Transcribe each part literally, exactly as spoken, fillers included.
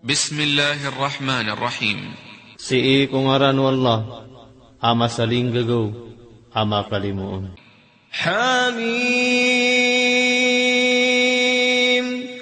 Bismillahir Rahmanir Rahim. Sii ko ngaran o Allah, a masalinggagaw, a makalimoon. Hamim.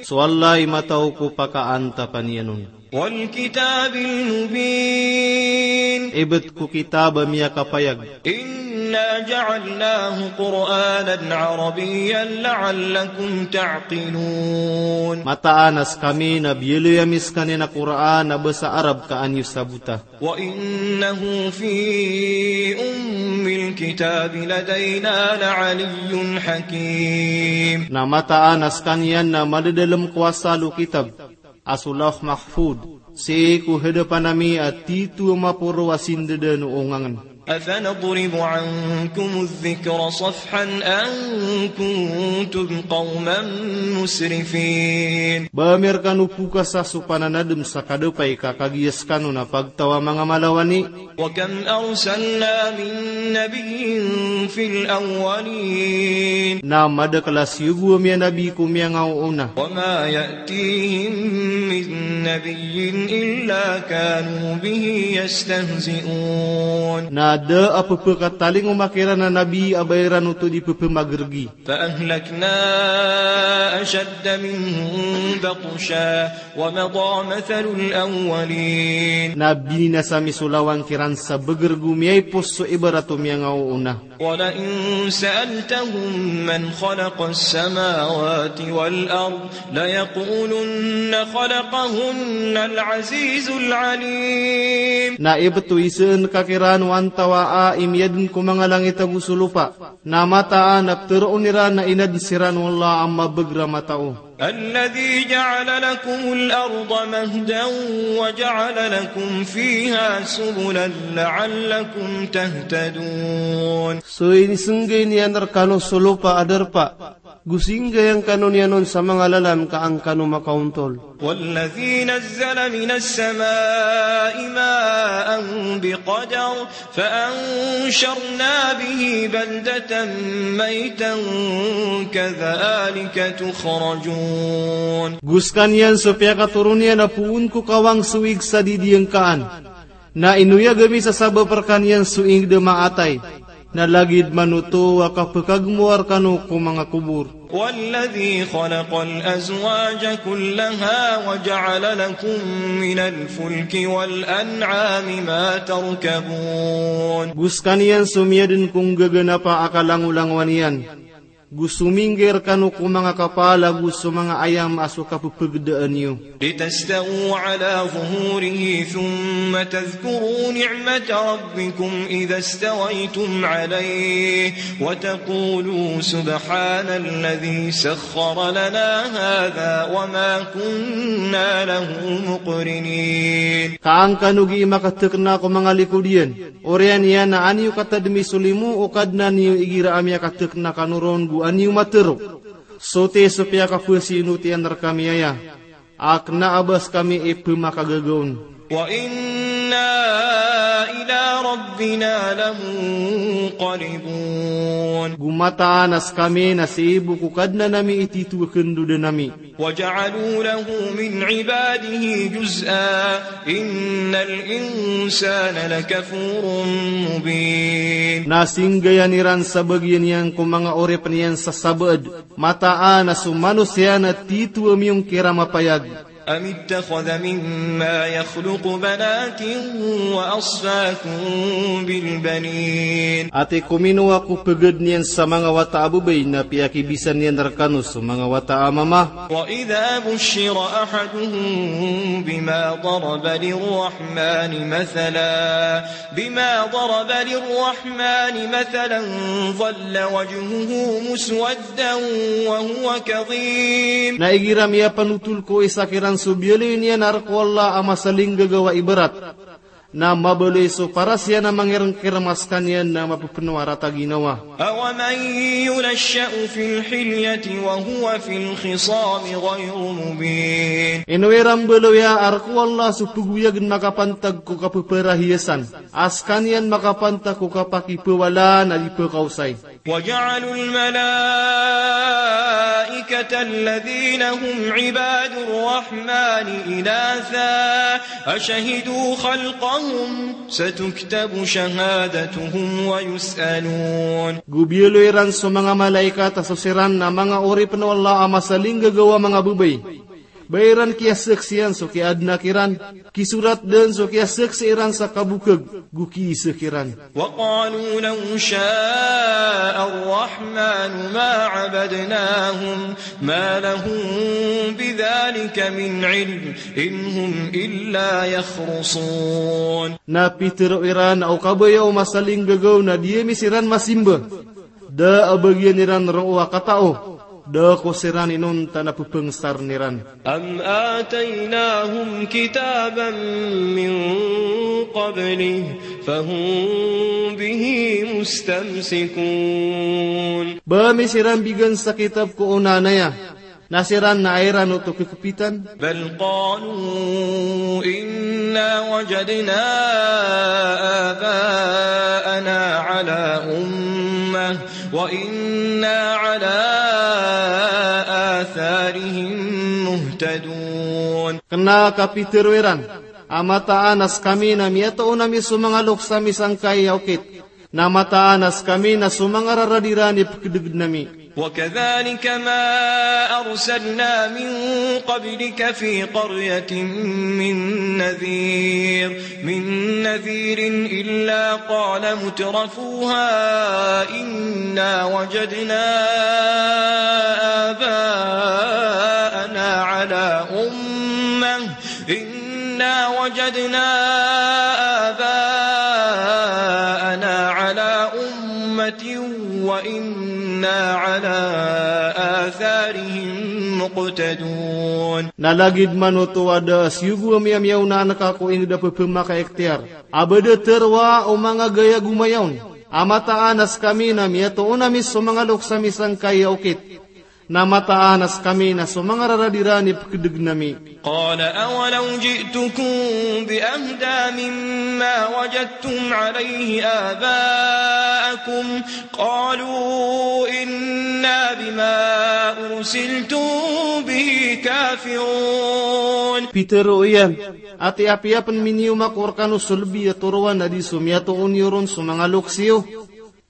So Allah i matao ko pakaantapan iyan on. Wal kitabil mubin. Ibt ko kitab a miyakapayag. Inna ja'alnahu Qur'anan Arabiyyan la'allakum ta'qilun. Mataan a skami na biyaloy ami skaniyan a Qur'an a basa Arab ka an iyo sabota. Wa innahu fi ummil kitabi ladayna la'aliyyun hakim. Na mataan a skaniyan na madadalm ko asal o kitab a so Lawh Mahfudh, sii ko hadapan ami a titho a maporo a sindadan o ongangn. Afanadribu ankumudh dhikra safhan an kuntum qawman musrifin. Ba ami rkano pokasa so pananadm sa kadapay ka kagiya skano na pagtaw a manga malawani. Wa kam arsalna min nabiyyin fil awwalin. Na madakl a siyogo ami a nabi ko miyangaoona. Wa ma ya'tihim min nabiyyin illa kanu bihi yastahzi'un. Na da a pphakatalingoma kiran a nabi a ba iran oto di pphamagrgi. Fa ahlakna ashadda minhum batsha wa madha mathalul awwalin. Na bininasa ami so lawan kiran sa bgrg o miyaipos so ibarat o miyangaoona. Wa la in sa'altahum man khalaqas samawati wal ard la yaqulunna khalaqahunnal azizul alim. Na ibt o isaan ka kiran o antawaa i miyadn ko manga langit ago so lopa. Na mataan a ptharoon iran a inadn siran o Allah a mabagr a matao. Alladhi ja'ala lakumul arda mahdan wa ja'ala lakum fiha subulan la'allakum tahtadun. So inisnggay niyan rkano so lopa a darpa, go singgayan kano niyan on sa manga lalan ka an kano makaontol. Walladhi nazzala minas sama'i ma'an biqadar. Fa ansharna bihi baldatan maytan kadhalika tukhrajun. Go skaniyan so piyakatoron iyan a poon ko kawang so ig sa didiyangkaan. Na inoyag ami sa sabap rkaniyan so ig da maatay. Na lagid man oto a kapkhagmowa rkano ko manga kobor. Walladhi khalaqal azwaja kullaha wa ja'ala lakum minal fulki wal an'ami ma tarkabun. Go skaniyan so miyadn ko nggaganapa a kalangolangowan iyan. Go sominggay rkano ko manga kapal ago so manga ayam a so kapphagdaan iyo. Litastawu ala zuhurihi thumma tadhkuru ni'mata rabbikum idha stawaytum alayhi wa taqulu subhanalladhi sakhkhara lana hadha wa ma kunna lahu muqrinin. Ka an kano gii makathkna ko manga likod iyan, oriyan iyan a an iyo katadmi so limo o Kadnan iyo igira a miyakathkna kano ron go an iyo matharo. Soti so piyakaphasinoti iyan rkami aya. A kna a ba skami i pmakagaga on. Wa inna ila rabbina lamunqalibun. Go mataan a skami na sii bo ko Kadnan ami i titho a khandodan ami. Wa ja'alu lahu min ibadihi juz'a. Innal insana lakafurun mubin. Na singgayan iran sa bagian iyan ko manga oripn iyan sa sabaad. Mataan a so manosiya na titho a miyongkira mapayag. Am ittakhadha mimma yakhluqu banatin wa asfakum bil banin. Ati ko minowa ko pagad niyan sa manga wata a babay na piyakibisan iyan rkano so manga wata a mama. Wa idha bushshira ahaduhum bima daraba lirrahmani mathalan. Bima daraba lirrahmani mathalan, dhalla wajhuhu muswaddan wa huwa kadhim. Na igira miyapanotol ko isa kiran so biyaloy niyan a rk o Allah a masalinggagaw a ibarat, Na mabaloy so paras iyan a mangirngkirm a skaniyan na mapepeno a rata ginawa. أومن ينشأ في الحلية وهو في الخصام غير مبين. Ino iran mbaloya a rk o Allah so pegoyagn makapantag ko kapeparahiyasan, a skaniyan makapantag ko kapakipewalaan a di pekaosay. وجعلوا الملائكة الذين هم عباد الرحمن إناثا أشهدوا خلقهم ستكتب شهادتهم ويسألون. Go biyaloy iran so manga malaikat a so siran na manga oripn o Allah a masalinggagaw a manga babay. Ba iran kiyasaksian so kiyaadna kiran, kisorat dn so kiyasaksi iran sa kabokg, go kiisa kiran. وقالوا لو شاء الرحمن ما عبدناهم ما لهم بذلك من علم إن هم إلا يخرصون. Na pitharo iran a o kabaya o masalinggagaw na di ami siran masimba. Da a bagian iran roo a katao, da ko siran inonta na pepengsarn iran. أم آتيناهم كتابا من قبله فهم به مستمسكون. Ba ami siran bigan sa kitab ko onaan aya, na siran na iran oto kekpitan. بل قالوا إنا وجدنا آباءنا على أمة وإنا على آثارهم مهتدون. Kna ka pitharo iran a mataan a skami na miyatoon ami so manga loks ami sangkai a okit, na mataan a skami na so manga rarad iran i pkdgn ami. وكذلك ما أرسلنا من قبلك في قرية من نذير، من نذير إلا قال مترفوها إنا وجدنا آباءنا على أمة، إنا وجدنا آباءنا على أمة وإنا على آثارهم مقتدون. Na lagid man oto a da a siyogo a miyamiyaona angka ko ingd a pphmakaiktiyar a ba da tharoa o manga gaya gomayaon a mataan a skami na miyatoon ami so manga loks ami sangkai a okit, na mataan a skami na so manga rarad iran i pkdgn ami. قال أولو جئتكم بأهدى مما وجدتم عليه آباءكم قالوا إنا بما أرسلتم به كافرون. Pitharo iyan a ati apiya pn miniyoma ko rkano so lbi a toroan a di so miyatoon iyo ron so manga loks iyo.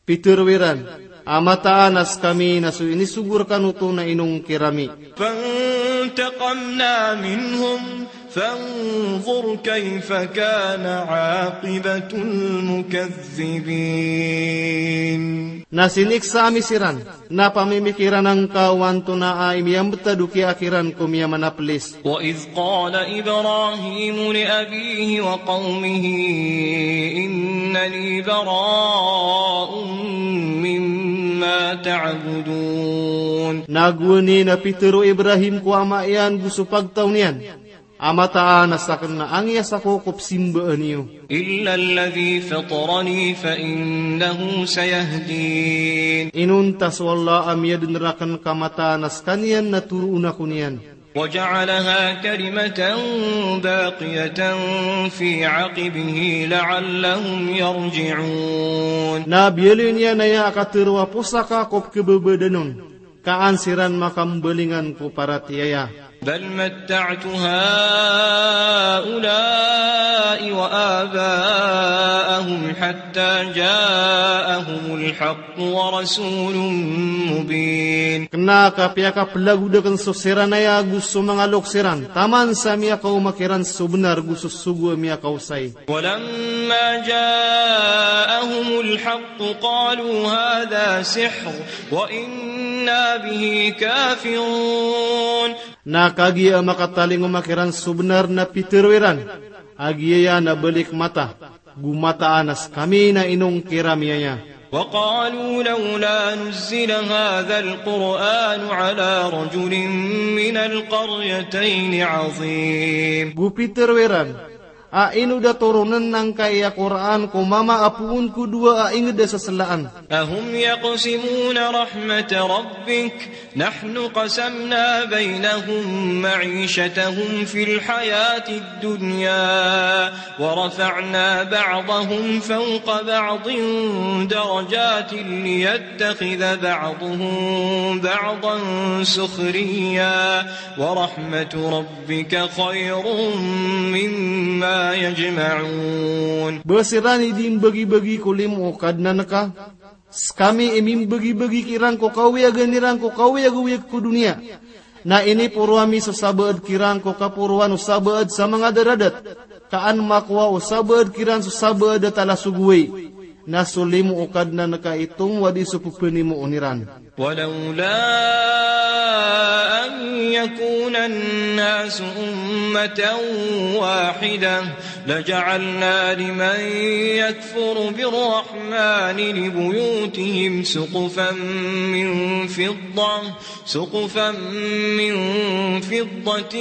Pitharo iran a mataan a skami na so inisogo rkano oto na inongkir ami. فانتقمنا منهم فانظر كيف كان عاقبة المكذبين. Na siniksa ami siran, na pamimikiran angka o antonaa i miyambtad o kiyakiran ko miyamanaplis. وإذ قال إبراهيم لأبيه وقومه إنني براء مما تعبدون. Na gowani na pitharo o Ibrahim ko ama iyan go so pagtaw niyan a mataan a sakn na angiyas ako ko psimbaan iyo. إلا الذي فطرني فإنه سيهدين. Inonta so Allah a miyadn rakn ka mataan a skaniyan na toroon ako niyan. وجعلها كلمة باقية في عقبه لعلهم يرجعون. Na biyaloy niyan aya a katharo a posaka ko pkhababadan on, ka an siran makambalingan ko paratiyaya. بل متعت هؤلاء وآباءهم حتى جاءهم الحق ورسول مبين. Kna ka piyakaplagoda akn so siran aya go so manga loks iran, taman sa miyakaoma kiran so bnar go so sogo a miyakaosay. ولما جاءهم الحق قالوا هذا سحر وإنا به كافرون. Na kagiya a makatalingoma kiran so bnar na pitharo iran a giyaya na balik mata, go mataan a skami na inongkir ami aya. وقالوا لولا نزل هذا القرآن على رجل من القريتين عظيم. Go pitharo iran A ino da toronen angkai a Qur'an ko mama a poon ko dowa a inged a seselaan. أهم يقسمون رحمة ربك؟ نحن قسمنا بينهم معيشتهم في الحياة الدنيا ورفعنا بعضهم فوق بعض درجات ليتخذ بعضهم بعضا سخريا ورحمة ربك خير مما يجمعون. Ba siran i di mbagi-bagi ko limo o Kadnan ka, sekami i mimbagi-bagi kiran ko kawiyagan iran ko kawiyag-wiyag ko doniya. Na iniporo ami so sabaad kiran ko kaporoan o sabaad sa manga daradat, ka an makowa o sabaad kiran so sabaad a tala so goway. Na so limo o Kadnan ka i tomo a di so pepenimoon iran. ولولا أن يكون الناس أمة واحدة لجعلنا لمن يكفر بالرحمن لبيوتهم سقفا من فضة، سقفا من فضة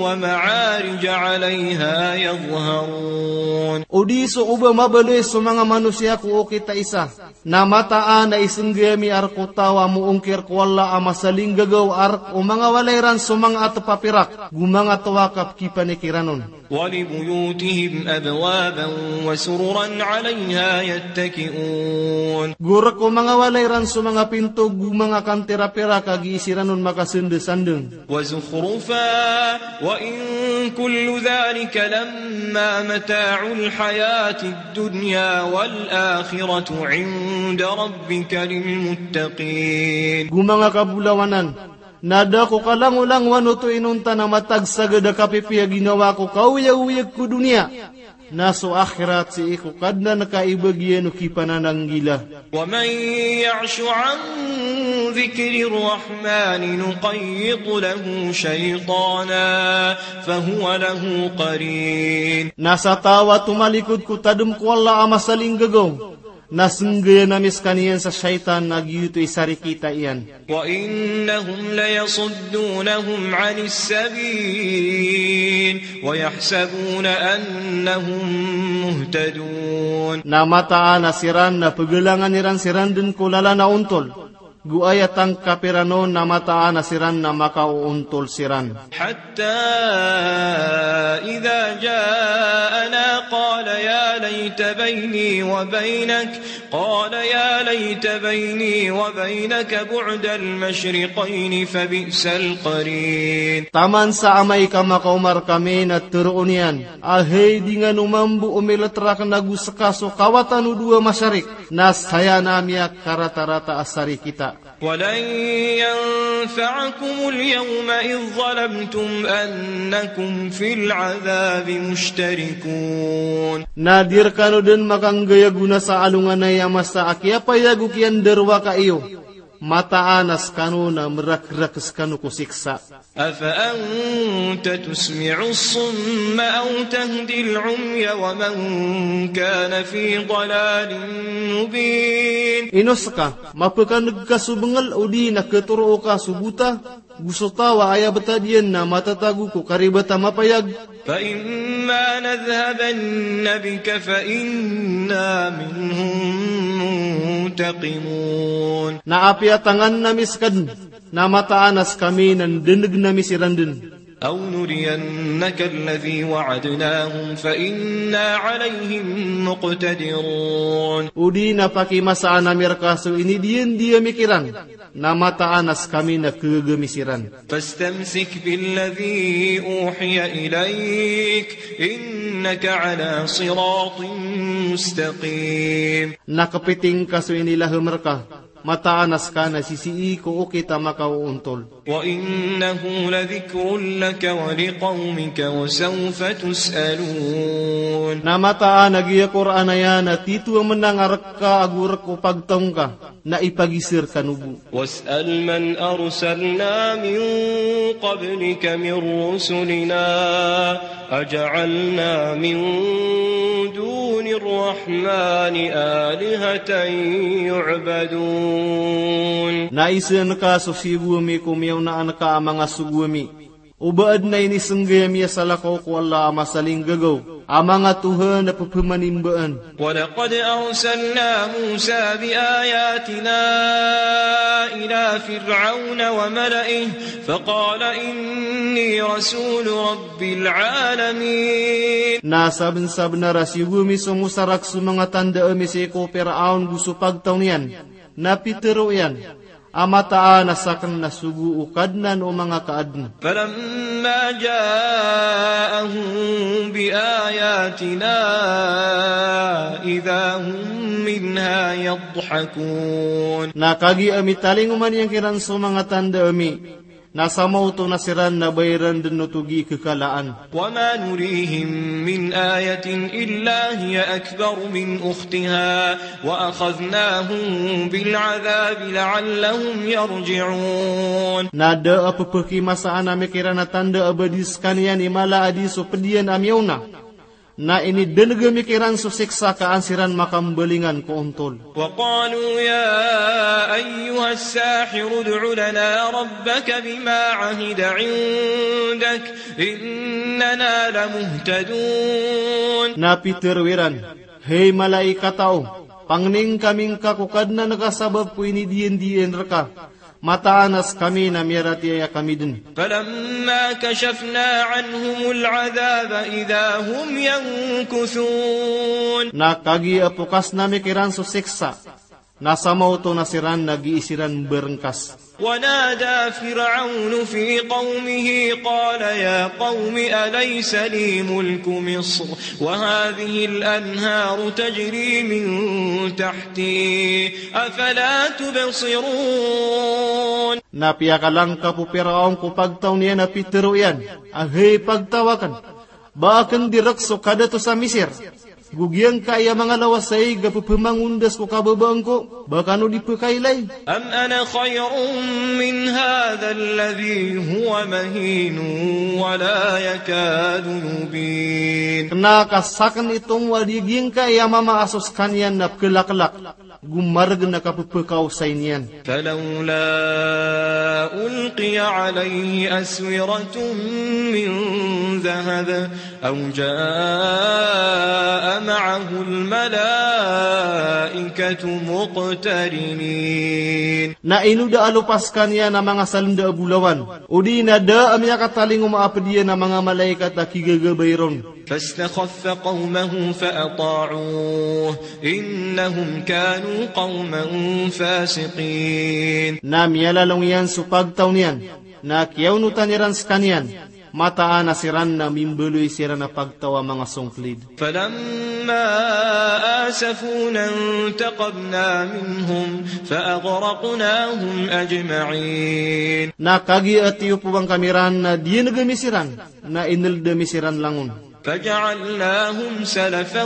ومعارج عليها يظهرون. O di so oba mabaloy so manga manosiya ko okit a isa, na mataan a isenggi ami a rek o taw a moongkir ko Allah a masalinggagaw a rek o manga walay ran so manga atep a pirak, go manga towa a kapekipanikiran on. ولبيوتهم أبوابا وسررا عليها يتكئون. Go rek o manga walay ran so manga pinto, go manga kantir a pirak a gii siran on makasendesandeng. وزخرفا وإن كل ذلك لما متاع الحياة الدنيا والآخرة عند ربك للمتقين. Go manga kabolawanan, na da ko kalangolangowan oto inonta na matag sagad a kapipiya ginawa ko kawiyag-wiyag ko doniya. Na so akhirat sii ko Kadnan ka i bagian o kipanananggila. ومن يعش عن ذكر الرحمن نقيض له شيطانا فهو له قرين. Na sa taw a tomalikod ko tadem ko Allah a masalinggagaw, na senggayan ami sekaniyan sa shaytan a giyoto i sarikita iyan. وإنهم ليصدونهم عن السبيل ويحسبون أنهم مهتدون. Na mataan a siran na pegalangan iran siran den ko lalan a ontol. Go aya tangkap iran on na mataan a siran na makaoontol siran. حتى إذا جاءنا قال يا ليت بيني وبينك قال يا ليت بيني وبينك بعد المشرقين فبئس القرين. Taman sa amay ka makaoma rekami na toroon iyan a hay di ngano mambo o milet raken ago seka so kawatan o dowa masharik, na saya na miyakarata-rata a sarikita. ولن ينفعكم اليوم إذ ظلمتم أنكم في العذاب مشتركون. Na di rekano den makanggay a gona sa alongan aya masa a kiyapayag o kiyandarowaka iyo. Mataan a sekano na merakrak sekano ko siksa. أفأنت تسمع الصم أو تهدي العمي ومن كان في ضلال مبين. Ino seka, mapekaneg ka so bengel odi na ketoro ka so bota, go so taw a aya betad iyan na matatago ko karibat a mapayag. فإما نذهبن بك فإنا منهم منتقمون. Na apiya tangan ami seka den, na mataan a sekami na ndenegen ami siran den. أو نرينك الذي وعدناهم فإنا عليهم مقتدرون. Odi na pakimasaan ami reka so inidiyan di ami kiran, na mataan a sekami na kegaga ami siran. فاستمسك بالذي أوحي إليك إنك على صراط مستقيم. Na kepiting ka so inilahem reka, mataan a seka na sisii ko okit a makaoontol. وإنه لذكر لك ولقومك وسوف تسألون. Na mataan a giya Qur'an aya na tito a menang a reka ago rek o pagtaw ngka, na ipagiza rekano bo. واسأل من أرسلنا من قبلك من رسلنا أجعلنا من دون الرحمن آلهة يعبدون. Na isaan ka so siyogo ami ko miyaona anka a manga sogo ami. O ba adn a inisnggay a miyasalakaw ko Allah a masalinggagaw a manga tohan a pphmanimbaan. ولقد أرسلنا موسى بآياتنا إلى فرعون وملئه فقال إني رسول رب العالمين. Na sabnsabnar a siyogo mi so Musa rak so manga tanda ami sii ko Piraon go so pagtaw niyan, na pitharo iyan a mataan a sakn na sogo o Kadnan o manga kaadn. فلما جاءهم بآياتنا إذا هم منها يضحكون. Na kagiya a mitalingoma niyan kiran so manga tanda ami, na samaoto na siran na ba iran dn oto gii kekalaan. وما نريهم من آية إلا هي أكبر من أختها وأخذناهم بالعذاب لعلهم يرجعون. Na da a pphakimasaan ami kiran a tanda a ba di skaniyan i mala a di so pd iyan a miyaona. Na inidn'g ami kiran so siksa ka an siran makambalingan ko ontol. وقالوا يا أيها الساحر ادع لنا ربك بما عهد عندك إننا لمهتدون. Na pitharo iran, hay mala i katao, pangnin kami ngka ko Kadnan ka sabap ko inidiyandiyan rka. Mataan a skami na miyaratiyaya kami dn. فلما كشفنا عنهم العذاب إذا هم ينكثون. Na kagiya a pokasn ami kiran so siksa, na samaoto na siran na gii siran mbarngkas. ونادى فرعون في قومه قال يا قوم أليس لي ملك مصر وهذه الأنهار تجري من تحتي أفلا تبصرون. Na piyakalangkap o Piraon ko pagtaw niyan a pitharo iyan a, hay pagtaw akn, ba akn di rk so kadato sa Misir, go giyangkai a manga lawas a ig a pphamangondas ko kababaa ngko, ba kano di pkailay? أم أنا خير من هذا الذي هو مهين ولا يكاد يبين. Kna ka sakn i tomo a di giyangkai a mama a so skaniyan na pkhlaklak, go margn a kappkaosay niyan. فلولا ألقي عليه أسورة من ذهب أو جاء معه الملائكة مقترنين. Na ino da a lopa skaniyan a manga salnda a bolawan, odi na da a miyakatalingoma a pd iyan a manga malaikat a kigagabay ron. فاستخف قومه فأطاعوه إنهم كانوا قوما فاسقين. Na miyalalong iyan so pagtaw niyan, na kiyaonotan iran skaniyan, mataan a siran na mimbaloy siran a pagtaw a manga songklid. فلما آسفونا انتقمنا منهم فأغرقناهم أجمعين. Na kagiya a tiyopowan kami ran na diyan'g ami siran, na inld ami siran langon. فجعلناهم سلفا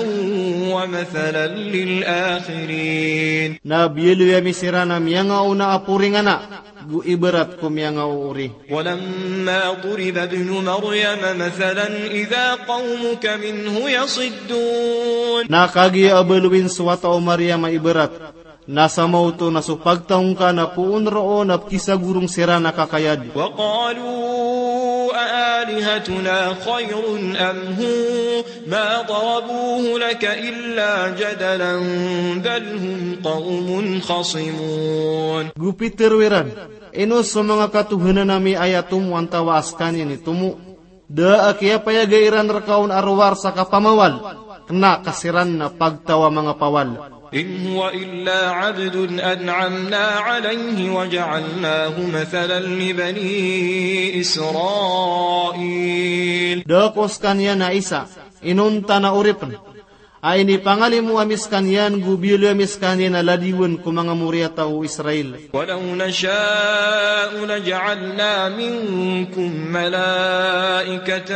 ومثلا للآخرين. Na biyaloy ami siran a miyangaona a poringana, go ibarat ko miyangaoori. ولما ضرب ابن مريم مثلا إذا قومك منه يصدون. Na kagiya a baloyin so wata o Maryam a ibarat, na samaoto na so pagtaw ngka na poon roo na pkisagorong siran a kakayad. وقالوا أآلهتنا خير أم هو ما ضربوه لك إلا جدلا بل هم قوم خصمون. Go pitharo iran, ino so manga katohanan ami aya tomo antawa a skaniyan i tomo? Da a kiyapayaga iran rka on a rowar sa kapamawal, kna ka siran na pagtaw a manga pawal. إن هو إلا عبد أنعمنا عليه وجعلناه مثلا لبني إسرائيل. Da ko skaniyan a isa, inonta na oripn, a inipangalimo ami skaniyan go biyaloy ami skaniyan a ladiwen ko manga moriyataw o Israel. ولو نشاء لجعلنا منكم ملائكة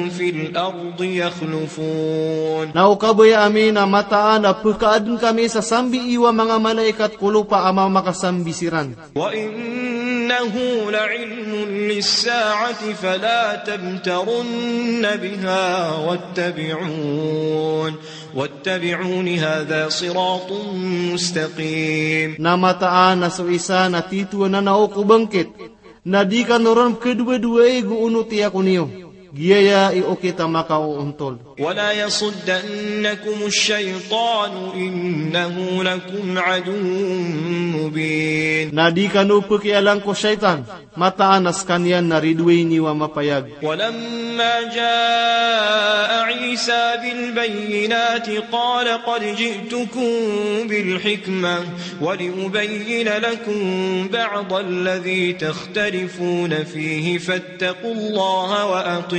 في الأرض يخلفون. Na o kabaya ami na mataan a pkaadn kami sa sambi iyo a manga malaikat ko lopa a mamakasambi siran. وإنه لعلم للساعة فلا تمترن بها واتبعون واتبعون هذا صراط مستقيم. Na mataan a so isa na titho a nanao ko bangkit, Na di kano ron pkhadowadowaay go onoti ako niyo. Giyaya i okit a makaoontol. ولا يصدنكم الشيطان إنه لكم عدو مبين. Na di kano pkhialang ko shaytan, mataan a skaniyan na ridoay niyo a mapayag. ولما جاء عيسى بالبينات قال قد جئتكم بالحكمة ولأبين لكم بعض الذي تختلفون فيه فاتقوا الله وأطيعون.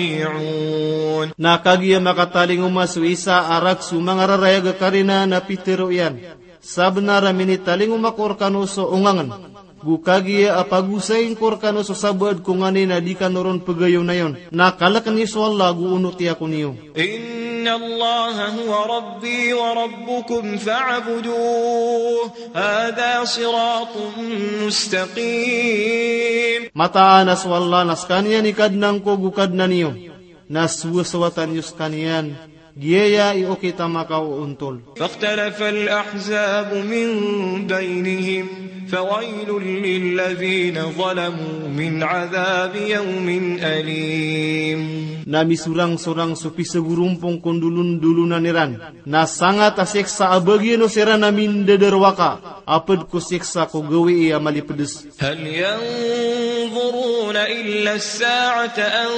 Na kagiya makatalingoma so Isa a rakhs o manga rarayag a karina na pitharo iyan, sabnar a minitalingoma ko rkano so ongangn, go kagiya a pagosayn ko rkano so sabaad ko nganin a di kano ron pgayonayon. Na kalkn iyo so Allah go onoti ako niyo. إن الله هو ربي وربكم فاعبدوه هذا صراط مستقيم. Mataan a so Allah na skaniyan i Kadnan ko go Kadnan iyo. Na sowasowatan iyo skaniyan. Giyaya i okit a makaoontol. فاختلف الأحزاب من بينهم فويل للذين ظلموا من عذاب يوم أليم. Na misorangsorang so pisagorompong ko ndolondolonan iran. Na sangat a siksa a bagian o siran a mindadarowaka, a pd ko siksa ko gawii a malipds. هل ينظرون إلا الساعة أن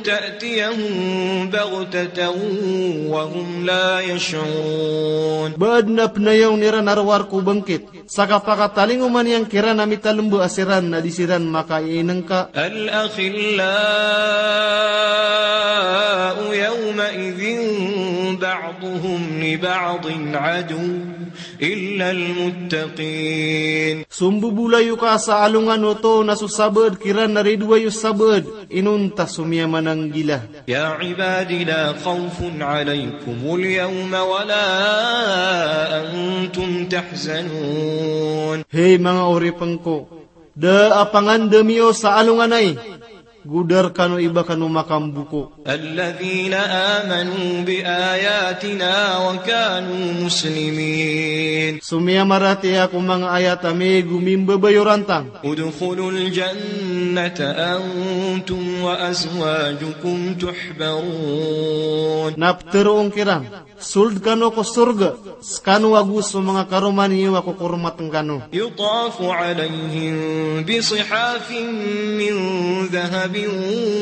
تأتيهم بغتة وهم لا يشعرون. Ba adn a pnayawn iran a rowar ko bangkit, sa kapakatalingoma niyan kiran a mitalmba a siran na di siran makaiinngka. الأخلاء يومئذ بعضهم لبعض عدو إلا المتقين. So mbobolayoka sa alongan oto na so sabaad kiran na ridoay o sabaad, inonta so miyamananggila. يا عباد لا خوف عليكم اليوم ولا أنتم تحزنون. Hay manga oripn ko, da a pangandam iyo sa alongan ai, go da rkano i ba kano makamboko. الذين آمنوا بآياتنا وكانوا مسلمين. So miyamaratiyaya ko manga ayat ami go mimbabayorantang. ادخلوا الجنة أنتم وأزواجكم تحبرون. Na ptharoon kiran, sold kano ko sorga, skano ago so manga karoma niyo a kokoromatn kano. يطاف عليهم بصحاف من ذهب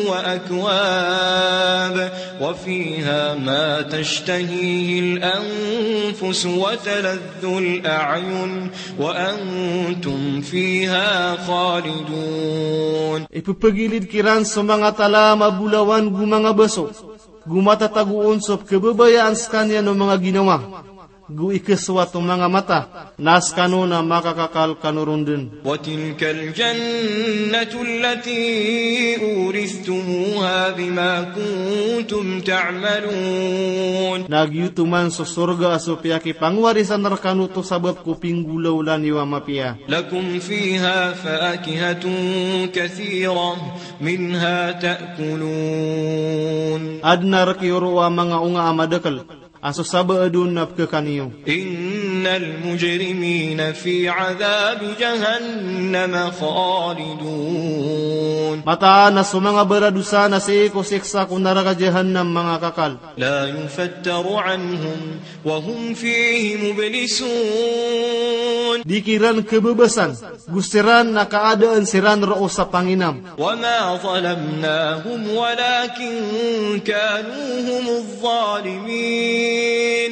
وأكواب وفيها ما تشتهيه الأنفس وتلذ الأعين وأنتم فيها خالدون. Ipphagilid kiran so manga talam a bolawan go manga baso, go matatago on so pkhababayaan skaniyan o manga ginawa, go ikasowat o manga mata, na skano na makakakal kano ron dn. وتلك الجنة التي أورثتموها بما كنتم تعملون. Na giyoto man so sorga a so piyakipangwarisan rkano oto sabap ko pinggolawla niyo a mapiya. لكم فيها فاكهة كثيرة منها تأكلون. Adn a rk iyo roo a manga onga a madakl, a so sabaad on na pkhakan iyo. إن المجرمين في عذاب جهنم خالدون. Mataan a so manga baradosa na sii ko siksa ko naraka Jahannam manga kakal. لا يفتر عنهم وهم فيه مبلسون. Di kiran khababasan, go siran na kaadaan siran roo sa panginam. وما ظلمناهم ولكن كانوا هم الظالمين.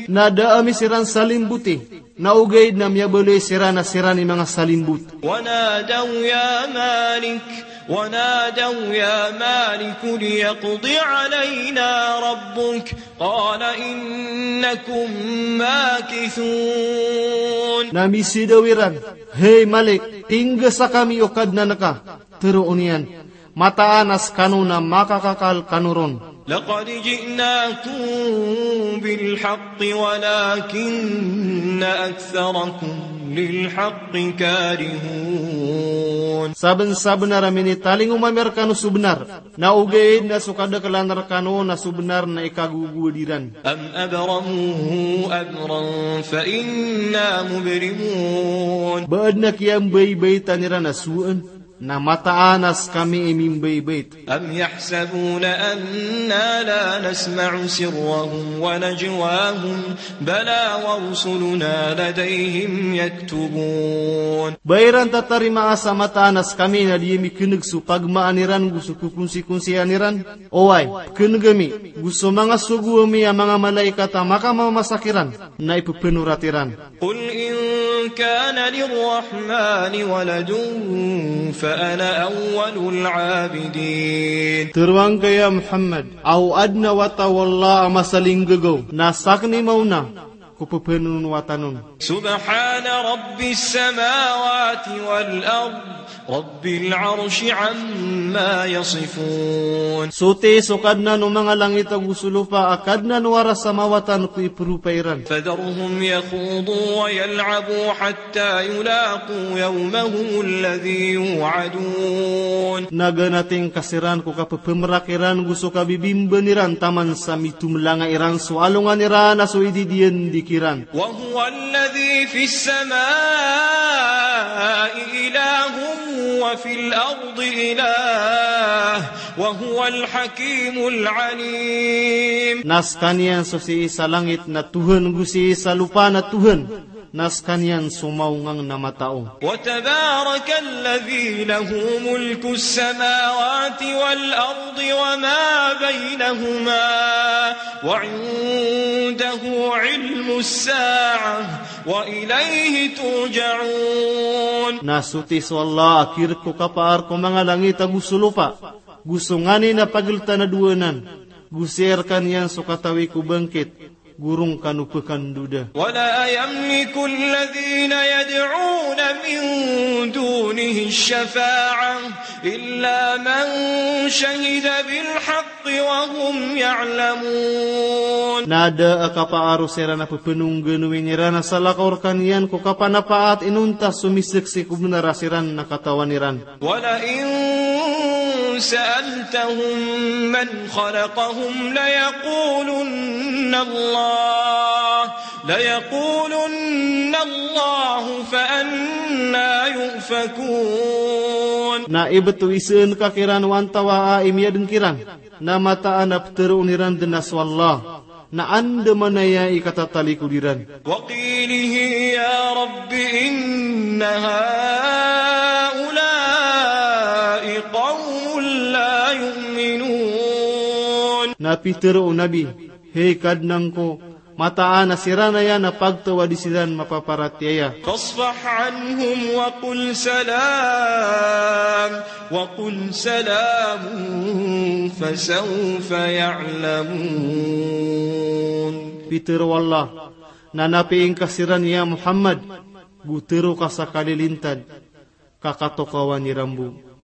Na da ami siran salimboti, na ogaid na miyabaloy siran a siran i manga salimbot. ونادوا يا مالك ونادوا يا مالك ليقض علينا ربك قال إنكم ماكثون. Na misidaw iran, "Hay Malik, inggasa kami o Kadnan ka." Tharoon iyan, "Mataan a skano na makakakal kano ron." لقد جئناكم بالحق ولكن أكثركم للحق كارهون. Sabnsabnar a minitalingoma ami rkano so bnar, na ogaid na so kadaklan rkano na so bnar na ikagogowad iran. أم أبرموا أمرا فإنا مبرمون. Ba adn a kiyambaybaytan iran a sowaan, Na mataan a skami i mimbaybayt. أم يحسبون أنا لا نسمع سرهم ونجواهم بلى ورسلنا لديهم يكتبون. Ba iran tatarima a sa mataan a skami na di ami khneg so pagmaan iran go so kokonsikonsian iran? Oway, pkhneg ami, go so manga sogo ami a manga malaikat a makamamasa kiran, na ipphanorat iran. قل إن كان للرحمن ولد فأنا أول العابدين. Tharoang ka ya Muhammad, a o adn a wata o Allah a masalinggagaw, na sakn i maona ko pphanonowatan on. سبحان رب السماوات والأرض رب العرش عما يصفون. Soti so Kadnan o manga langit ago so lopa a Kadnan o aras a mawatan ko ipropa iran. فذرهم يخوضوا ويلعبوا حتى يلاقوا يومهم الذي يوعدون. Na ganating ka siran ko kapphamrak iran go so kabibimban iran taman sa mitomlanga iran so alongan iran a so ididiyandi kiran. وهو الذي في السماء إله وفي الأرض إله وهو الحكيم العليم. Na skaniyan so sii sa langit na Tuhan, go sii sa lopa na Tuhan, na skaniyan so maongang na matao. وتبارك الذي له ملك السماوات والأرض وما بينهما وعنده علم الساعة وإليه ترجعون. Na soti so Allah a kirk ko kapaar ko manga langit ago so lopa, go so nganin a pagltan a dowa anan, go sii rkaniyan so katawi ko bangkit, go roo kano pkandoda. ولا يملك الذين يدعون من دونه الشفاعة إلا من شهد بالحق وهم يعلمون. Na da a kapaar o siran a pphanongganowi iran a salakaw rkaniyan ko kapanapaat inonta so misaksi ko bnar a siran na katawan iran. ولئن سألتهم من خلقهم ليقولن الله، ليقولن الله فأنى يؤفكون. Na ibt o isaan ka kiran o antawaa i miyadn kiran, na mataan a ptharoon iran dn a so Allah, na andamanaya i katatalikod iran. وقيله يا رب إن هؤلاء قوم لا يؤمنون. Na pitharo o Nabi, hay Kadnan ko, mataan a siran aya na pagtawadi siran mapaparatiyaya. فاصفح عنهم وقل سلام، وقل سلام فسوف يعلمون. Pitharo o Allah, na napiing ka siran ya Muhammad, go tharo ka sa kalilintad, ka katokawan iran bo.